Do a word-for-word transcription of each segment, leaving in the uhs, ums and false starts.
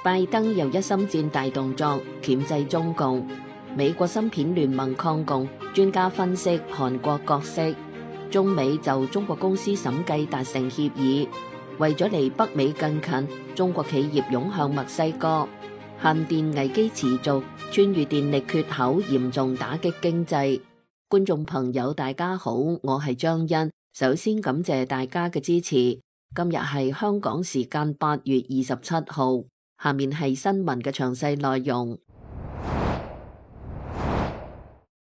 拜登又一心戰大動作，鉗制中共。美國芯片聯盟抗共，專家分析韓國角色。中美就中國公司審計達成協議，為咗離北美更近，中國企業湧向墨西哥。限電危機持續，川渝電力缺口嚴重打擊經濟。觀眾朋友大家好，我係張欣，首先感謝大家嘅支持。今日係香港時間八月二十七號，下面係新聞嘅詳細內容。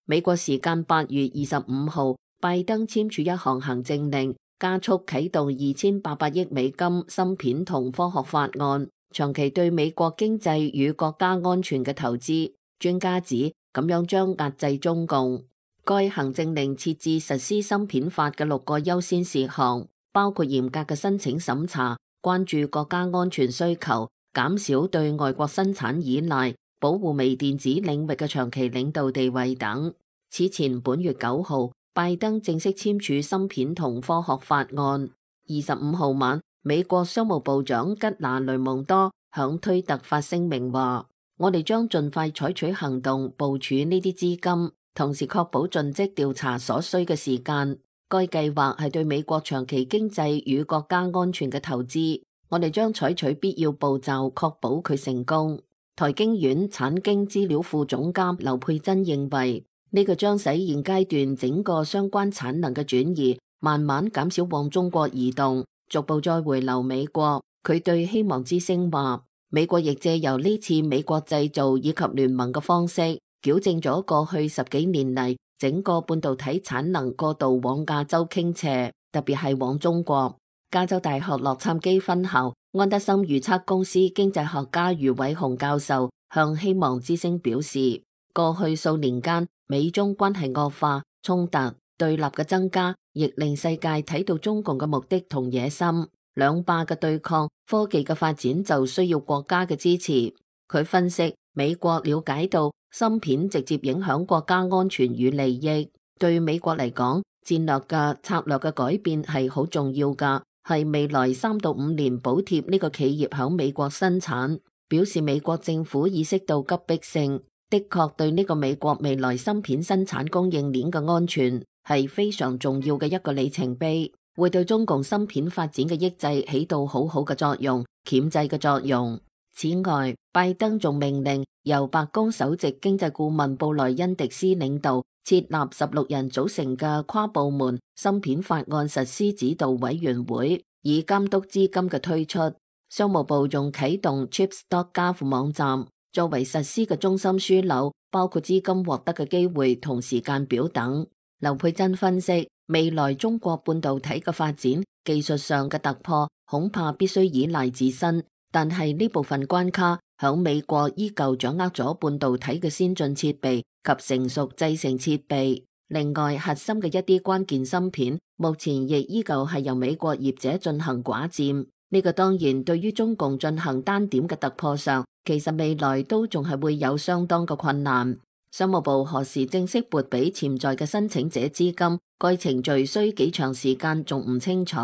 美國時間八月二十五號，拜登簽署一項行政令，加速啟動二千八百億美金芯片同科學法案，長期對美國經濟與國家安全嘅投資。專家指咁樣將壓制中共。該行政令設置實施芯片法嘅六個優先事項，包括嚴格嘅申請審查、關注國家安全需求、減少對外國生產依賴、保護微電子領域嘅長期領導地位等。此前本月九號，拜登正式簽署芯片同科學法案。二十五號晚，美國商務部長吉拿雷蒙多響推特發聲明話：我哋將盡快採取行動部署呢啲資金，同時確保盡職調查所需嘅時間。該計劃係對美國長期經濟與國家安全嘅投資，我哋將採取必要步驟確保佢成功。台經院產經資料庫總監劉佩珍認為，呢個將使現階段整個相關產能嘅轉移慢慢減少往中國移動，逐步再回流美國。佢對希望之聲話，美國亦借由呢次美國製造以及聯盟嘅方式，矯正咗過去十幾年嚟整個半導體產能過度往亞洲傾斜，特別係往中國。加州大學洛杉磯分校安德森預測公司經濟學家余偉雄教授向希望之聲表示，過去數年間，美中關係惡化，衝突對立嘅增加，亦令世界睇到中共嘅目的同野心。兩霸嘅對抗，科技嘅發展就需要國家嘅支持。佢分析，美國了解到芯片直接影響國家安全與利益，對美國嚟講，戰略嘅策略嘅改變係好重要㗎，係未來三到五年補貼呢個企業響美國生產。表示美國政府意識到急迫性。的確對呢個美國未來芯片生產供應鏈嘅安全係非常重要嘅一個里程碑，會對中共芯片發展嘅抑制起到好好嘅作用，鉗制嘅作用。此外，拜登仲命令由白宮首席經濟顧問布萊恩迪斯領導設立十六人組成嘅跨部門芯片法案實施指導委員會，以監督資金嘅推出。商務部仲啟動 chips dot gov 網站，作為實施嘅中心樞紐，包括資金獲得嘅機會同時間表等。劉佩珍分析，未來中國半導體嘅發展，技術上嘅突破恐怕必須依賴自身，但係呢部分關卡響美國依舊掌握咗半導體嘅先進設備及成熟製程設備。另外，核心嘅一啲關鍵芯片，目前亦依舊係由美國業者進行寡佔。呢個當然對於中共進行單點嘅突破上，其實未來都仲係會有相當嘅困難。商務部何時正式撥俾潛在嘅申請者資金，該程序需幾長時間仲唔清楚。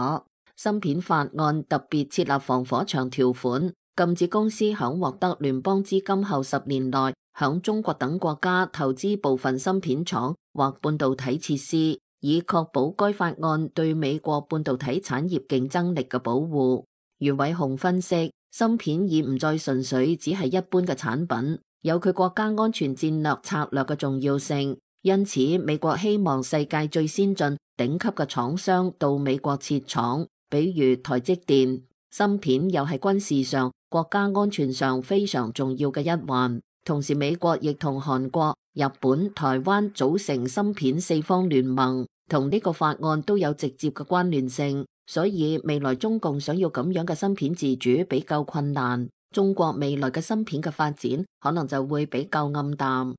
芯片法案特別設立防火牆條款，禁止公司響獲得聯邦資金後十年內響中國等國家投資部分芯片廠或半導體設施，以確保該法案對美國半導體產業競爭力嘅保護。余偉雄分析，芯片已唔再純粹只係一般嘅產品，有佢國家安全戰略策略嘅重要性。因此，美國希望世界最先進頂級嘅廠商到美國設廠，比如台積電。芯片又係軍事上、國家安全上非常重要嘅一環。同時，美國亦同韓國、日本、台灣組成芯片四方聯盟，同呢個法案都有直接嘅關聯性。所以未來中共想要咁樣嘅芯片自主比較困難，中國未來嘅芯片嘅發展可能就會比較暗淡。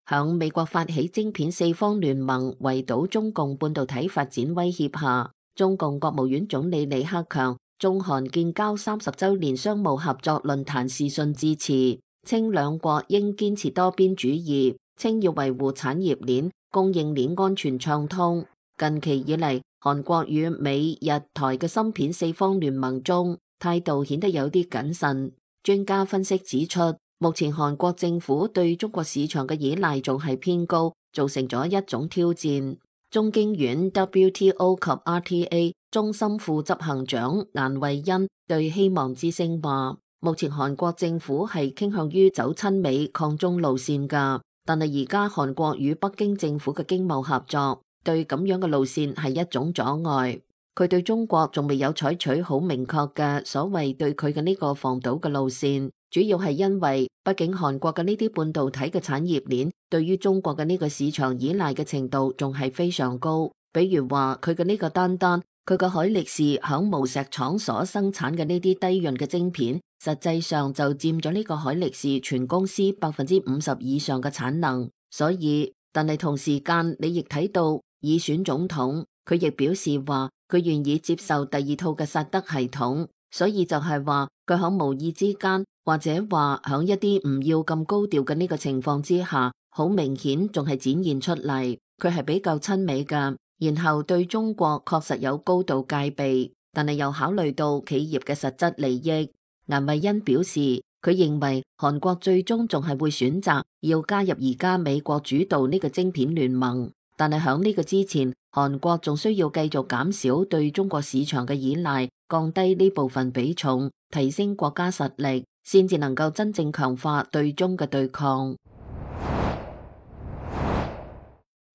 響美國發起晶片四方聯盟圍堵中共半導體發展威脅下，中共國務院總理李克強中韓建交三十週年商務合作論壇視訊致辭，稱兩國應堅持多邊主義，稱要維護產業鏈、供應鏈安全暢通。近期以嚟，韓國與美、日、台嘅芯片四方聯盟中，態度顯得有啲謹慎。專家分析指出，目前韓國政府對中國市場嘅依賴仲係偏高，造成咗一種挑戰。中經院 W T O 及 R T A 中心副執行長顏惠恩對希望之聲話，目前韓國政府係傾向於走親美抗中路線㗎，但係而家韓國與北京政府嘅經貿合作對咁樣嘅路線係一種阻礙。佢對中國仲未有採取好明確嘅所謂對佢嘅呢個防堵嘅路線，主要係因為畢竟韓國嘅呢啲半導體嘅產業鏈對於中國嘅呢個市場依賴嘅程度仲係非常高。比如話佢嘅呢個單單佢嘅海力士響無錫廠所生產嘅呢啲低潤嘅晶片，實際上就佔咗呢個海力士全公司百分之五十以上嘅產能。所以，但係同時間你亦睇到爾選總統佢亦表示話，佢願意接受第二套嘅薩德系統，所以就係話佢響無意之間，或者話響一啲唔要咁高調嘅呢個情況之下，好明顯仲係展現出嚟，佢係比較親美㗎，然後對中國確實有高度戒備，但係又考慮到企業嘅實質利益。顏惠恩表示，佢認為韓國最終仲係會選擇要加入而家美國主導呢個晶片聯盟。但係喺呢個之前，韓國仲需要繼續減少對中國市場嘅依賴，降低呢部分比重，提升國家實力，先至能夠真正強化對中嘅對抗。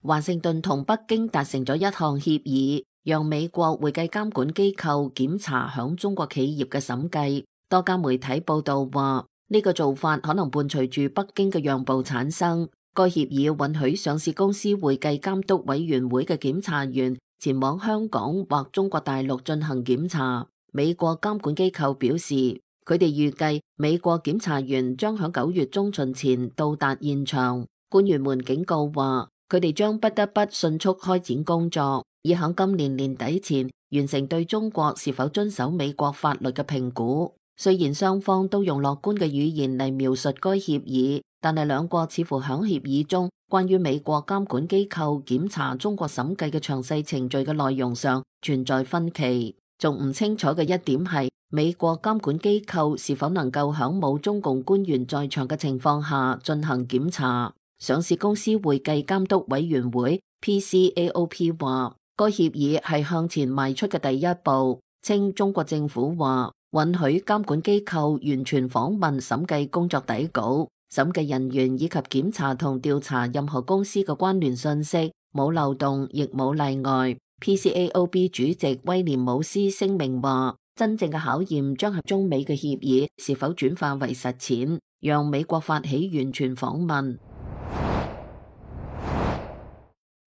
華盛頓同北京達成咗一項協議，讓美國會計監管機構檢查響中國企業嘅審計。多家媒體報道話，呢個做法可能伴隨住北京嘅讓步產生。該協議允許上市公司會計監督委員會嘅檢查員前往香港或中國大陸進行檢查。美國監管機構表示，佢哋預計美國檢查員將喺九月中旬前到達現場。官員們警告話，佢哋將不得不迅速開展工作，以喺今年年底前完成對中國是否遵守美國法律嘅評估。雖然雙方都用樂觀嘅語言嚟描述該協議，但係兩國似乎喺協議中關於美國監管機構檢查中國審計嘅詳細程序嘅內容上存在分歧。仲唔清楚嘅一點係，美國監管機構是否能夠喺冇中共官員在場嘅情況下進行檢查。上市公司會計監督委員會 P C A O P 話，該協議係向前邁出嘅第一步，稱中國政府話允許監管機構完全訪問審計工作底稿、審計人員以及檢查同調查任何公司嘅關聯信息，冇漏洞亦冇例外。P C A O P 主席威廉姆斯聲明話，真正嘅考驗將係中美嘅協議是否轉化為實踐，讓美國發起完全訪問。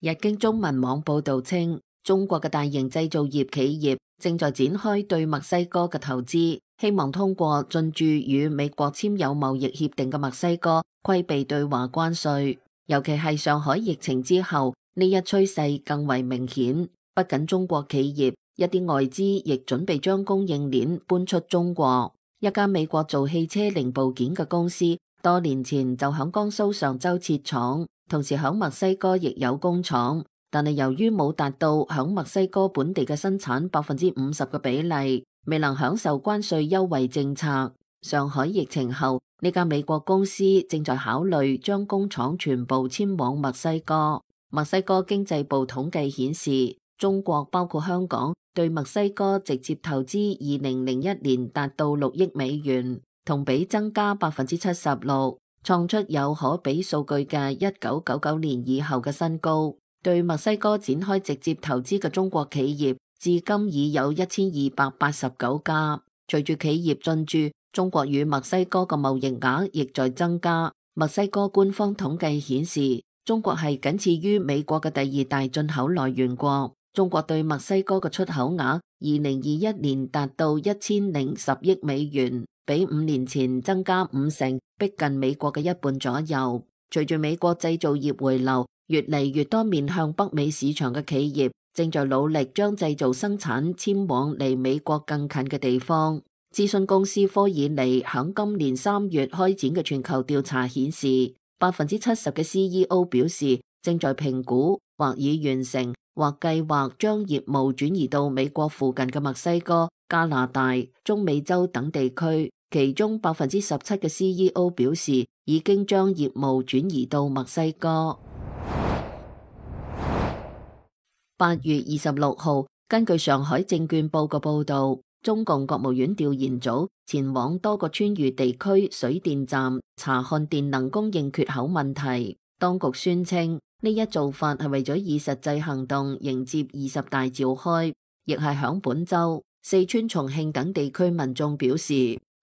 日經中文網報道稱，中國嘅大型製造業企業正在展開對墨西哥嘅投資，希望通過進駐與美國簽有貿易協定嘅墨西哥規避對華關稅。尤其係上海疫情之後，呢一趨勢更為明顯。不僅中國企業，一啲外資亦準備將供應鏈搬出中國。一家美國做汽車零部件嘅公司，多年前就響江蘇常州設廠，同時響墨西哥亦有工廠。但係由於冇達到響墨西哥本地嘅生產百分之五十嘅比例，未能享受關稅優惠政策。上海疫情後，呢家美國公司正在考慮將工廠全部遷往墨西哥。墨西哥經濟部統計顯示，中國包括香港對墨西哥直接投資二零零一年達到六億美元，同比增加百分之七十六，創出有可比數據嘅一九九九年以後嘅新高。對墨西哥展開直接投資嘅中國企業，至今已有一千二百八十九家。隨住企業進駐，中國與墨西哥嘅貿易額亦在增加。墨西哥官方統計顯示，中國係僅次於美國嘅第二大進口來源國。中國對墨西哥嘅出口額，二零二一年達到一千零十億美元，比五年前增加五成，逼近美國嘅一半左右。隨住美國製造業回流，越嚟越多面向北美市場嘅企業正在努力將製造生產遷往離美國更近嘅地方。諮詢公司科爾尼響今年三月開展嘅全球調查顯示，百分之七十嘅 C E O 表示正在評估或已完成或計劃將業務轉移到美國附近嘅墨西哥、加拿大、中美洲等地區，其中百分之十七嘅 C E O 表示已經將業務轉移到墨西哥。八月二十六號，根據上海證券報嘅報導，中共國務院調研組前往多個川渝地區水電站查看電能供應缺口問題。當局宣稱呢一做法係為咗以實際行動迎接二十大召開，亦係響本週，四川、重慶等地區民眾表示，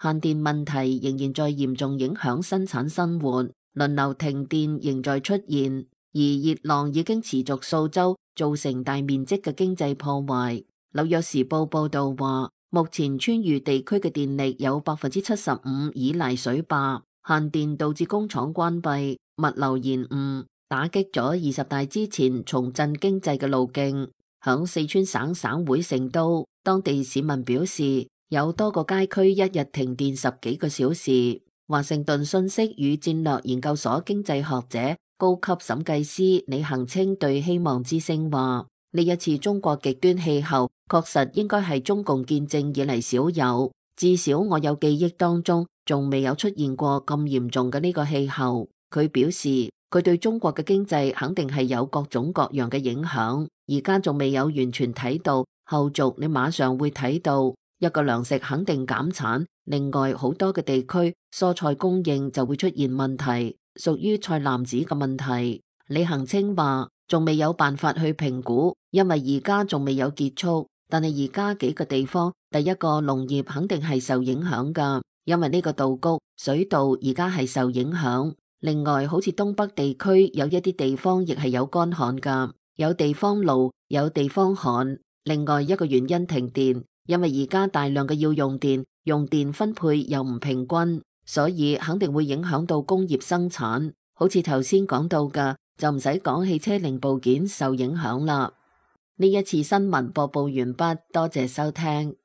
限電問題仍然在嚴重影響生產生活，輪流停電仍在出現，而熱浪已經持續數週，造成大面積嘅經濟破壞。紐約時報報導話，目前川渝地區嘅電力有百分之七十五依賴水壩，限電導致工廠關閉、物流延誤，打擊咗二十大之前重振經濟嘅路徑。響四川省省會成都，當地市民表示有多個街區一日停電十幾個小時。華盛頓信息與戰略研究所經濟學者、高級審計師李恒清對希望之聲話：呢一次中國極端氣候確實應該係中共建政以嚟少有，至少我有記憶當中仲未有出現過咁嚴重嘅呢個氣候。佢表示佢對中國嘅經濟肯定係有各種各樣嘅影響，而家仲未有完全睇到，後續你馬上會睇到。一個糧食肯定減產，另外好多嘅地區蔬菜供應就會出現問題，屬於菜籃子嘅問題。李恒清話仲未有辦法去評估，因為而家仲未有結束。但係而家幾個地方，第一個農業肯定係受影響噶，因為呢個稻谷水稻而家係受影響。另外好似東北地區有一啲地方亦係有乾旱噶，有地方澇，有地方旱。另外一個原因停電，因為而家大量嘅要用電，用電分配又唔平均，所以肯定會影響到工業生產。好似頭先講到嘅，就唔使講汽車零部件受影響啦。呢一次新聞播報完畢，多謝收聽。